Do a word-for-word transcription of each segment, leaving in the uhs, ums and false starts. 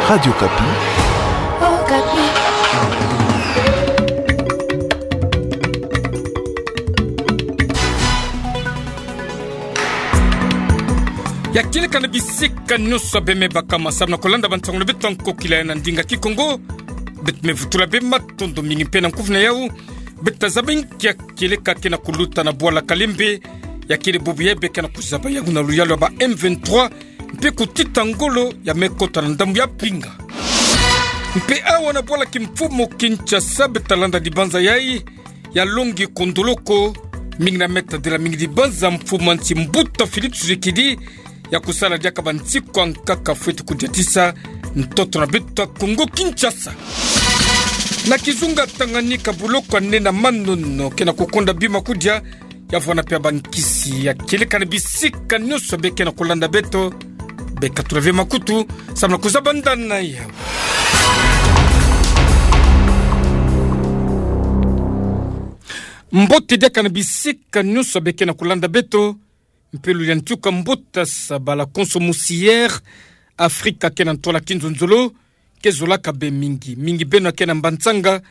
Radio Okapi. Okapi. Ya kieleka na bisika nyonso bê me baka, masamu na kolanda bansangu na beto ya nkokila ya na ndinga Kikongo. Beto me vutula bê matondo mingi mpe na nkufi na yau. Beto tazaba nki ya kieleka ke na kuluta na bwala Kalembe. Ya kiele bubu yayi bê ke na kuzaba yau na luyalu ya ba M vingt-trois mpe kutita ngolo ya me kota na ndambu ya pinga. Mpe awa na bwala kimfumu Kinshasa beto talanda dibanza yayi ya Longi Kondoloko, mingi na me tadila mingi dibanza mfumu a nsi Mbuta Félix Tshisekedi ya kusala diaka bansiku ya nkaka fwete kudiatisa ntoto na beto ya Kongo Kinshasa. Na kizunga Tanganyika buloko ya nne na manono ke na kukonda bima kudia, ya vwanda mpe ya bankisi. Ya kieleka na bisika nyonso bê ke na kulanda beto, bê katula ve makutu, samu na kuzaba ndani na yau. Mbote diaka na bisika nyonso bê ke na kulanda beto, mpe lulendo ya ntuka mbote sa ba la Konso Musiere, Afrika ke na ntwala kinzonzolo, ke zolaka bê mingi. Mingi beno ke na Mbantsanga,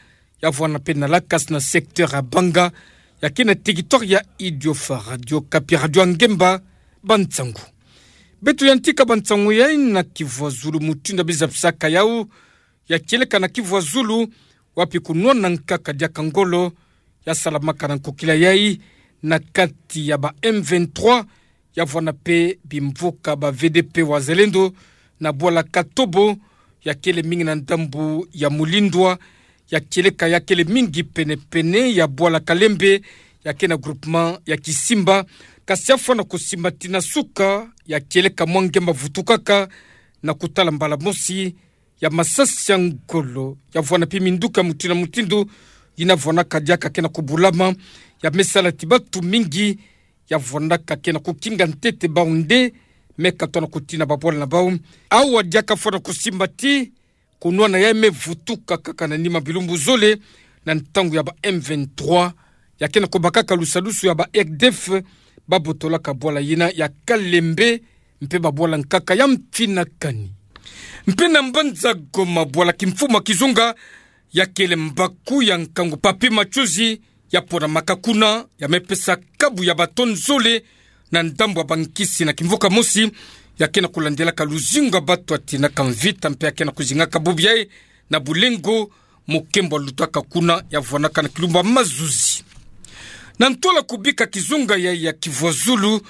ya vwanda mpe na Lakasi na secteur ya Banga, ya ke na territoire ya Idiofa. Radio Okapi, radio ya ngemba, bansangu. Beto yantika bansangu yayi na kivwazulu mutindu ya bizapisaka yau, ya kieleka na kivwazulu, wapi kunwana nkaka diaka ngolo ya salamaka na nkokila yayi na kati ya ba M vingt-trois, ya vwanda mpe bimvuka ba V D P Wazalendo na bwala Katobo, ya kiele mingi na ndambu ya Mulindwa, ya kieleka ya kiele mingi penepene ya bwala Kalembe, ya ke na groupement ya Kisimba, kasi ya fwana kusimbati na suka, ya kieleka mwa ngemba vutukaka na kutala mbala mosi ya masasi ya ngolo, ya vwanda mpe minduki ya mutindu na mutindu yina vwandaka diaka ke na kubulama, ya me sala ti batu mingi ya vwandaka ke na kukinga ntete bau nde me katona kutina babwala na bau. Awa diaka fwana kusimbati, kunwana yayi me vutuka kaka na nima bilumbu zole, na ntangu ya ba M vingt-trois ya ke na kubakaka lusadusu ya ba R D F, babotolaka bwala yina ya Kalembe, mpe babwala nkaka ya mfinakani. Mpe na mbanza Goma, bwala kimfumu ya kizunga, ya kiele mbaku ya nkangu Papy Matsozi, ya ponamaka kuna, ya me pesa kabu ya ba tonnes zole na ndambu ya bankisi na kimvuka mosi, ya ke na kulandilaka luzingu ya batu ya tinaka mvita, mpe ya ke na kuzingaka bubu yayi na bulengo, mokembo ya lutaka kuna, ya vwanaka na kilumbu ya mazuzi. Na ntwala kubika kizunga yayi ya kivwazulu,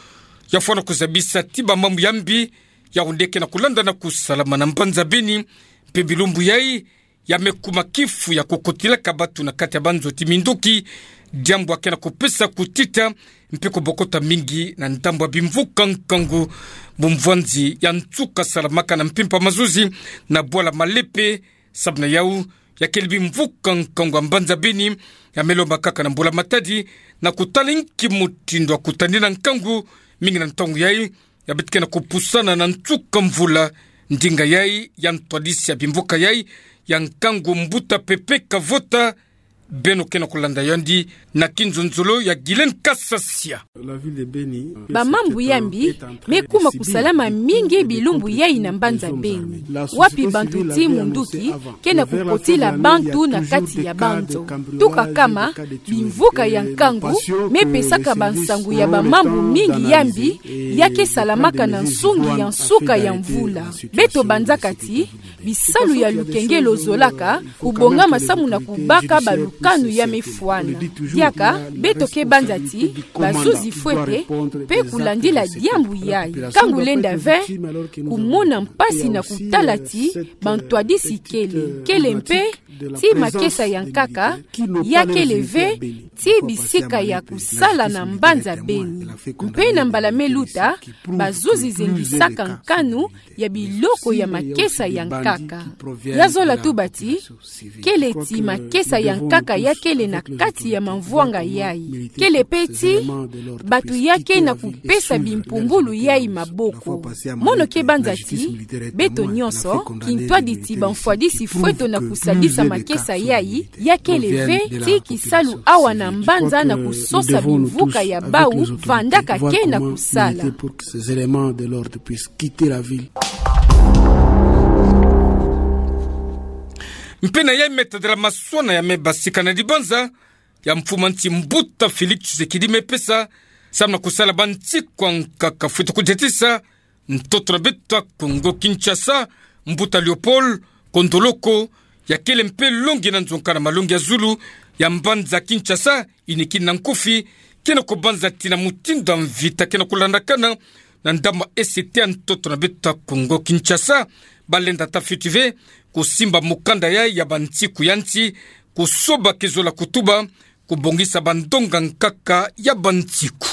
ya fwana kuzabisa ti bamambu ya mbi, ya onde ke na kulanda na kusalama na mbanza Beni, mpe bilumbu yayi, ya me kuma kifu ya kukotilaka batu na kati ya banzo ti minduki, diambu ya ke na kupesa kutita mpe kubokota mingi na ndambu ya bimvuka nkangu. Bumvwanzi ya nsuka salamaka na mpimpa mazuzi na bwala Malepe, samu na yau, ya kiele bimvuka nkangu ya mbanza Beni, ya me lomba kaka na mbula matadi na kutala nki mutindu ya kutani na nkangu, mingi na ntangu yayi, ya beto ke na kupusana na nsuka mvula. Ndinga yayi ya ntwadisi ya bimvuka yayi ya nkangu, mbuta Pepe Kavota, beno ke na kulanda yandi na kinzonzolo ya Guylaine Kasasia. Bamambu ya mbi me kuma kusalama mingi bilumbu yayi na mbanza Beni, wapi bantu ti munduki ke na kukotila bantu na kati ya banzo. Tuka kama bimvuka ya nkangu me pesaka bansangu ya bamambu mingi ya mbi ya ke salamaka na nsungi ya nsuka ya mvula. Beto banzaka ti bisalu ya lukengelo zolaka kubongama samu na kubaka balukanu ya me fwana. Diaka, beto ke banza ti bazuzi fwete mpe kulandila diambu yayi. Ka ngulenda ve kumona mpasi na kutala ti bantwadisi kele, kele mpe ti makesa ya nkaka ya kele ve ti bisika ya kusala na mbanza Beni. Mpe na mbala me luta, bazuzi zengisaka nkanu ya biloko ya makesa ya nkaka. Ya zola tuba ti kele ti makesa ya nkaka ya kele na kati ya mamvwanga yayi. Kele mpe ti batu ya ke na kupesa bimpumbulu yayi maboko. Mono ke banza ti beto nyonso, kintwadi ti bamfwadisi fweto na kusadisa makesa yayi, ya kele ve ti kisalu awa na mbanza na kusosa bimvuka ya bau vandaka ke na kusala. Ces éléments de l'ordre puissent quitter la ville. Mpe na yai me tadela maswana ya me basika na dibanza ya mfumu a nsi mbuta Félix Tshisekedi me pesa, samu na kusala bansiku ankaka fwete kudiatisa ntoto na beto ya Kongo Kinshasa, mbuta Léopold Kondoloko, ya kele mpe longi na nzonka na malongi ya zulu ya mbanza Kinshasa, inikini na nkufi, ke na kubanza tina mutindu ya mvita ke na kulandakana na ndambu ya E C T ya ntoto na beto ya Kongo Kinshasa, balenda ata fioti ve kusimba mukanda yai ya bansiku ya nsi, kusoba ke zola kutuba, kubongisa bandonga nkaka ya bansiku.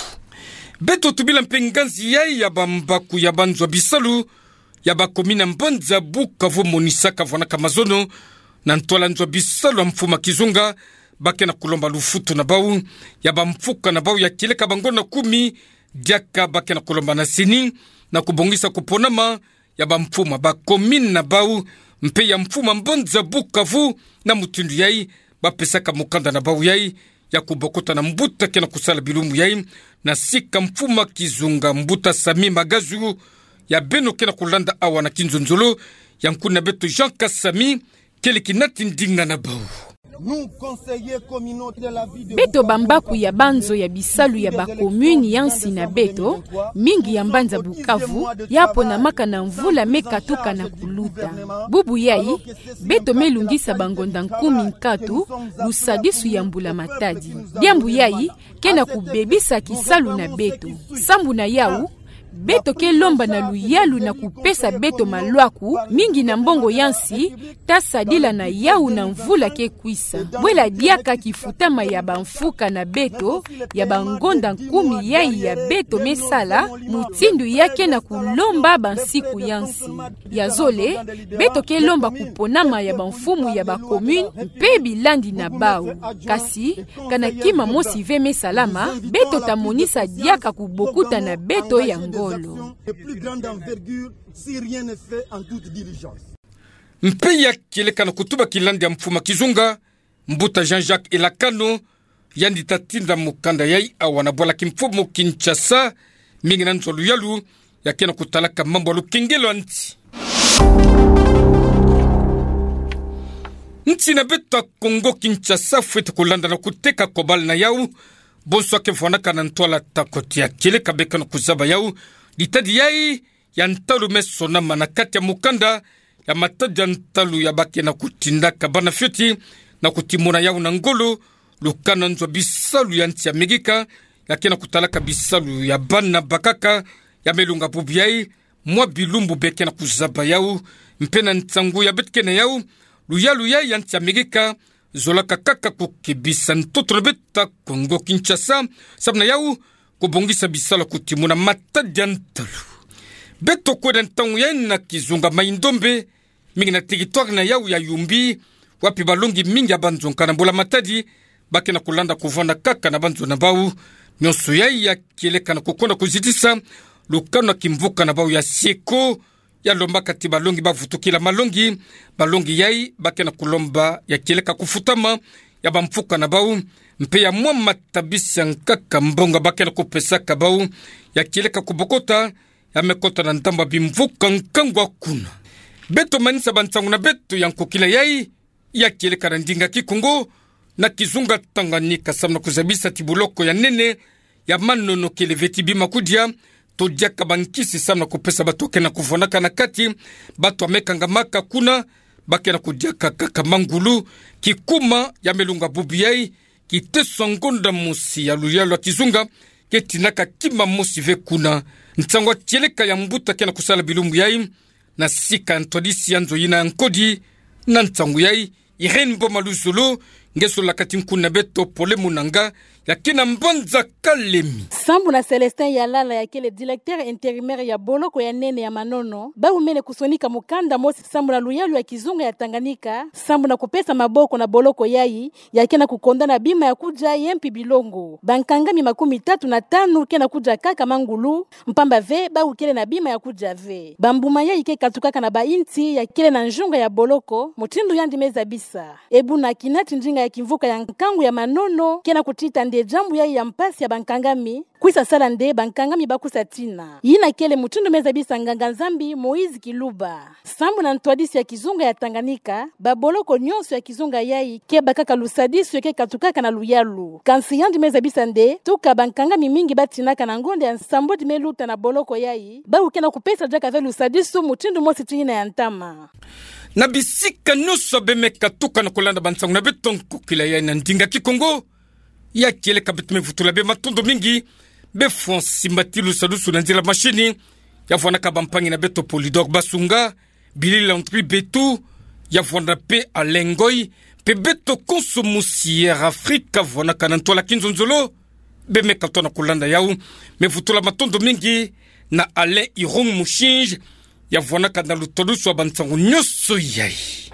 Beto tubila mpe nganzi yai ya bambaku ya banzo ya bisalu ya bakomini ya mbanza Bukavu, monisaka vwanaka mazono na ntwala nzo ya bisalu ya mfumu a kizunga, ba ke na kulomba lufutu na bau ya bamfuka na bau ya kieleka bangonda kumi, diaka ba ke na kulomba na CENI na kubongisa kuponama ya bamfumu ya bakomini na bau, mpe ya mfumu a mbanza Bukavu, na mutindu yai ba pesaka mukanda na bau yai ya kubokota na mbuta ke na kusala bilumbu yai, na sika mfumu a kizunga mbuta Sami Magazou, ya beno ke na kulanda awa na kinzonzolo ya nkuna beto Jean Kasami, kele kinati ndinga na bau. Beto bambaku ya banzo ya bisalu ya bakomini ya nsi na beto, mingi ya mbanza Bukavu, ya ponamaka na mvula me katuka na kuluta. Bubu yai, beto me lungisa bangonda nkumi nkatu, lusadisu ya mbula Matadi. Diambu yai ke na kubebisa kisalu na beto. Sambu na yau, beto ke lomba na luyalu na kupesa beto malwaku mingi na mbongo ya nsi, ta sadila na yau na mvula ke kwisa. Bwela diaka kifutama ya bamfuka na beto ya bangonda nkumi yai ya beto me sala, mutindu ya ke na kulomba bansiku ya nsi. Ya zole, beto ke lomba kuponama ya bamfumu ya bakomini mpe bilandi na bau. Kasi, kana kima mosi ve me salama, beto ta monisa diaka kubokuta na beto ya ngolo. Mpe ya kieleka na kutuba kilandi ya mfumu a kizunga, mbuta Jean-Jacques Elakano, yandi ta tinda mukanda yai awa na bwala kimfumu Kinshasa, mingi na nzo ya luyalu ya ke na kutalaka mambu ya lukengelo ya nsi. Nsi na beto ya Kongo Kinshasa fwete kulanda na kuteka kobala na yau bonso ya ke vwanaka na ntwala takote ya kieleka be ke na kuzaba yau ditadi yai ya ntalu me sonama na kati ya mukanda ya matadi ya ntalu ya ba ke na kutindaka bana fioti na kutimona yau na ngolo, lukano nzo ya bisalu ya nsi ya Amerika ya ke na kutalaka bisalu ya bana bakaka, ya me lunga bubu yai mwa bilumbu be ke na kuzaba yau. Mpe na nsangu ya beto ke na yau, luyalu yai ya nsi ya Amerika zolaka kaka kukebisa ntoto na beto ya Kongo Kinshasa, samu na yau kubongisa bisalu ya kutimona matadi ya ntalu. Beto kwenda ntangu yai na kizunga Mai-Ndombe, mingi na territoire na yau ya Yumbi, wapi balongi mingi ya banzo nkaka na mbula Matadi ba ke na kulanda kuvanda kaka na banzo na bau. Nyonso yai ya kieleka na kukonda kuzitisa lukano ya kimvuka na bau ya Sieko, ya lombaka ti balongi ba vutukila malongi. Balongi yai ba ke na kulomba ya kieleka kufutama ya bamfuka na bau, mpe ya mwa matabisi ya nkaka mbongo ba ke na kupesaka bau ya kieleka kubokota, ya me kota na ndambu ya bimvuka nkangu ya kuna. Beto manisa bansangu na beto ya nkokila yai ya kieleka na ndinga Kikongo na kizunga Tanganyika samu na kuzabisa ti boloko ya nene ya manono kele ve ti bima kudia, to diaka bankisi samu na kupesa bato ke na kuvwandaka na kati, bato ya me kangamaka kuna, ba ke na kudiaka kaka mangulu. Kikuma ya me lunga bubu yai, kiteso ya ngonda mosi ya luyalu ya kizunga ke tindaka kima mosi ve kuna. Nsangu ya kieleka ya mbuta ke na kusala bilumbu yai na sika ya ntwadisi ya nzo yina ya nkodi. Na nsangu yai, Irène Mboma Luzolo, nge sololaka ti nkuna beto Pole Munanga, ya ke na mbanza Kalemi. Sambu na Célestin Yalala, ya kele directeur intérimaire ya boloko ya nene ya manono, ba wumene kusonika mukanda mosi sambu na luyalu ya kizunga ya Tanganyika, sambu na kupesa maboko na boloko yai, ya ke na kukonda na bima ya kudia ye mpi bilongo. Bankangami makumi tatu na tanu ke na kudia kaka mangulu, mpamba ve bawu kele na bima ya kudia ve. Bambuma yai ke katukaka na bainsi ya kele na nzunga ya boloko, mutindu yandi me zabisa. E buna kina ti ndinga ya kimvuka ya nkangu ya manono ke na kutita nde jambu yayi ya mpasi ya bankangami, kwisa sala nde bankangami bakwiza tina. Yina kele mutindu mezabisa nganga-Nzambi Moïse Kiluba. Sambu na ntwadisi ya kizunga ya Tanganyika, baboloko nyonso ya kizunga yayi ke bakaka lusadisu ke katukaka na luyalu. Kansi yandi mezabisa nde, tuka bankangami mingi batinaka na ngonda ya nsambwadi meluta na boloko yayi, bawu ke na kupesa diaka ve lusadisu mutindu mosi ti yina ya ntama. Na bisika nyonso bemeka tuka na kulanda bansangu na beto nkokila yayi na ndinga Kikongo, ya kieleka beto me vutula be matondo mingi, be fwa nsimbati lusadisu na nzila mashini, ya vwanaka bampangi na beto Polydor Basunga, Billy Landry Betu, ya vwanda pe Alain Ngoy, pe beto konso musi Air Afrique, vwanaka na ntwala kinzonzolo, bemeka tona kulanda yawu, me vutula matondo mingi na Alain Irung Mushinji, ya vwanaka na lutwadusu wa bansangu nyonso yayi.